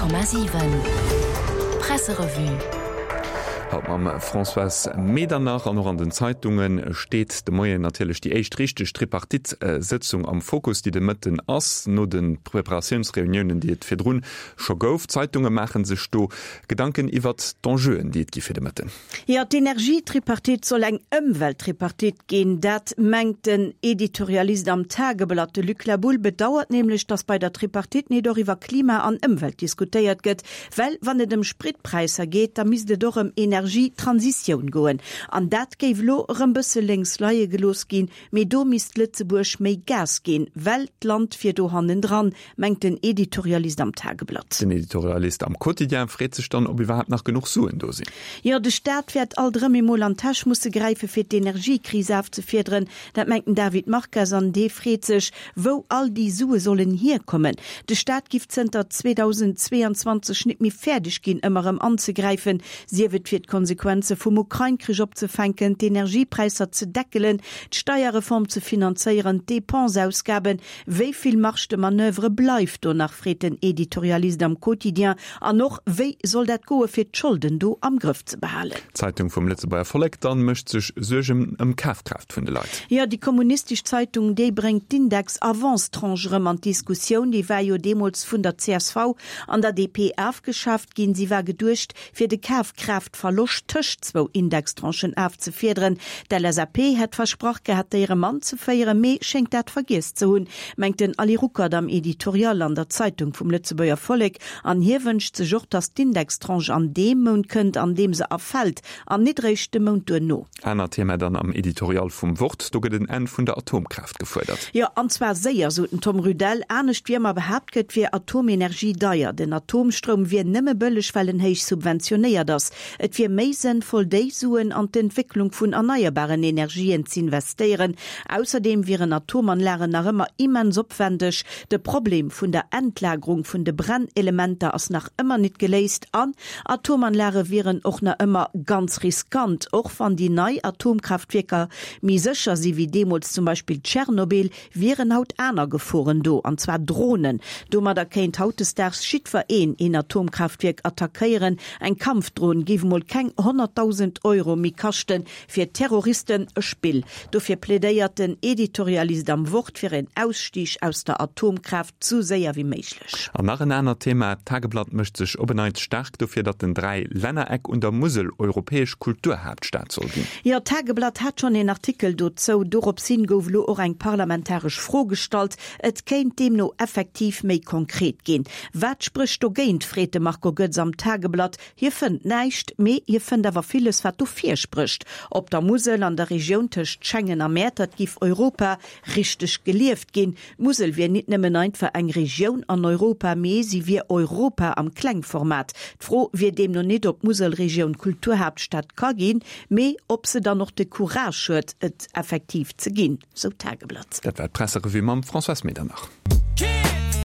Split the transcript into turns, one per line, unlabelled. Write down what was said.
100,7 Presserevue.
Haut mam Françoise Medernach. An och an den Zeitunge steet de Moien natierlech déi éischt richteg Tripartite-Sëtzung am Fokus, déi de Mëtten ass, no de Preparatiounsreuniounen, déi et virdrun scho gouf. D'Zeitunge maache sech do Gedanken iwwert d'Enjeuen, déi et gi fir de Mëtten.
Jo, d'Energietripartite soll eng Ëmwelttripartite ginn, dat mengt den Editorialist am Tageblatt. De Luc Laboulle bedauert nämlech, datt bei der Tripartite nit och iwwer Klima an Ëmwelt diskutéiert gëtt, well wann et ëm Spritpräisser geet, da misst et och ëm Energietransitioun goen. An dat géif elo erëm bësse lénks leie gelooss ginn, mee do misst Lëtzebuerg méi Gas ginn, well d'Land wier do hannendran, mengt den Editorialist am Tageblatt.
Den Editorialist am Quotidien freet sech dann, ob iwwerhaapt nach genuch Suen do sinn.
Jo, de Staat wäert alt erëm emol an d'Täsch musse gräife fir d'Energiekris afzefiederen. Dat mengt den David Marques an dee freet sech, wou all déi Sue sollen hierkommen. De Staat giff zënter 2022 nit méi fäerdeg ginn, ëmmer erëm anzegräifen, sief et fir d'Konsequenze vum Ukrain-Krich opzefänken, d'Energiepräisser ze deckelen, d'Steierreform ze finanzéieren, d'Depenseausgaben Wéi vill Marge de manoeuvre bleift do nach, freet den Editorialist am Quotidien. An och, wéi soll dat goe fir d'Scholden do am Grëff ze behalen?
D'Zeitung vum Lëtzebuerger Vollek dann mécht sech Suergen ëm d'Kafkraaft vun de Leit.
Jo, déi kommunistesch Zeitung, déi bréngt d'Index-Avance-Tranche erëm an d'Diskussioun. Déi war jo deemools vun der csv an der DP afgeschaaft ginn. Si war geduecht, fir de Kafkraaftverloscht tëscht zwou Indextranchen afzefiederen. D'LSAP hätt versprach gehat, déi erëm anzeféieren, mee schéngt dat vergiess ze hunn, mengt den Ali Ruckert am Editorial an der Zeitung vum Lëtzebuerger Vollek. An hie wënscht sech och, datt d'Indextranche an deem Mount kënnt, an deem se erfält, an nit eréischt de Mount duerno.
Anert Thema dann am Editorial vum Wort, do gëtt en Enn vun der Atomkraaft gefuerdert.
Jo, an zwar séier, sot den Tom Rudel. Anescht wéi ëmmer behaapt gëtt, wier Atomenergie deier. Den Atomstroum wier nëmme bëlleg, well en héich subventionéiert ass. Et wier méi sënnvoll, déi Suen an d'Entwécklung vun erneierbaren Energien z'investéieren. Ausserdeem wieren Atomanlagen nach ëmmer immens opwendeg. De Problem vun der Endlagerung vun de Brennelementer ass nach ëmmer nit geléist an Atomanlage wieren och na ëmmer ganz riskant. Och wann déi nei Atomkraaftwierker méi sécher si wéi deemools zum Beispill Tschernobyl, wieren haut aner Geforen do, an zwar Dronen. Domadder kéint hautdesdaags jiddwer een een Atomkraaftwierk attackéieren. Eng Kampfdron géif mol keng 100.000 Euro méi kaschten. Fir Terroristen e Spill. Dofir plädéiert den Editorialist am Wort fir een Ausstieg aus der Atomkraaft sou séier wéi méiglech.
An nach en anert Thema, D'Tageblatt mécht sech op en Neits staark dofir, datt den Dräilännereck un der Musel europäesch Kulturhaaptstad soll ginn.
Jo, d'Tageblatt hat schonn een Artikel dozou. Dorops hin gouf elo och eng parlamentaresch Fro gestallt. Et kéint deemno effektiv méi konkret ginn. Wat sprécht dogéint, freet de Marco Goetz am Tageblatt. Hie fënnt näischt, mee hie fënnt awer villes, wat dofir sprécht. Op der Musel, an der Regioun tëscht Schengen a Mäertert, giff Europa richteg gelieft ginn. D'Musel wier nit nëmmen einfach eng Regioun an Europa, mee si wier Europa am Klengformat. D'Fro wier deemno nit, ob d'Muselregioun Kulturhaaptstad ka ginn, mee ob se dann och de Courage huet, et effektiv ze ginn, sou d'Tageblatt.
Dat war d'Presserevue mam Françoise Medernach.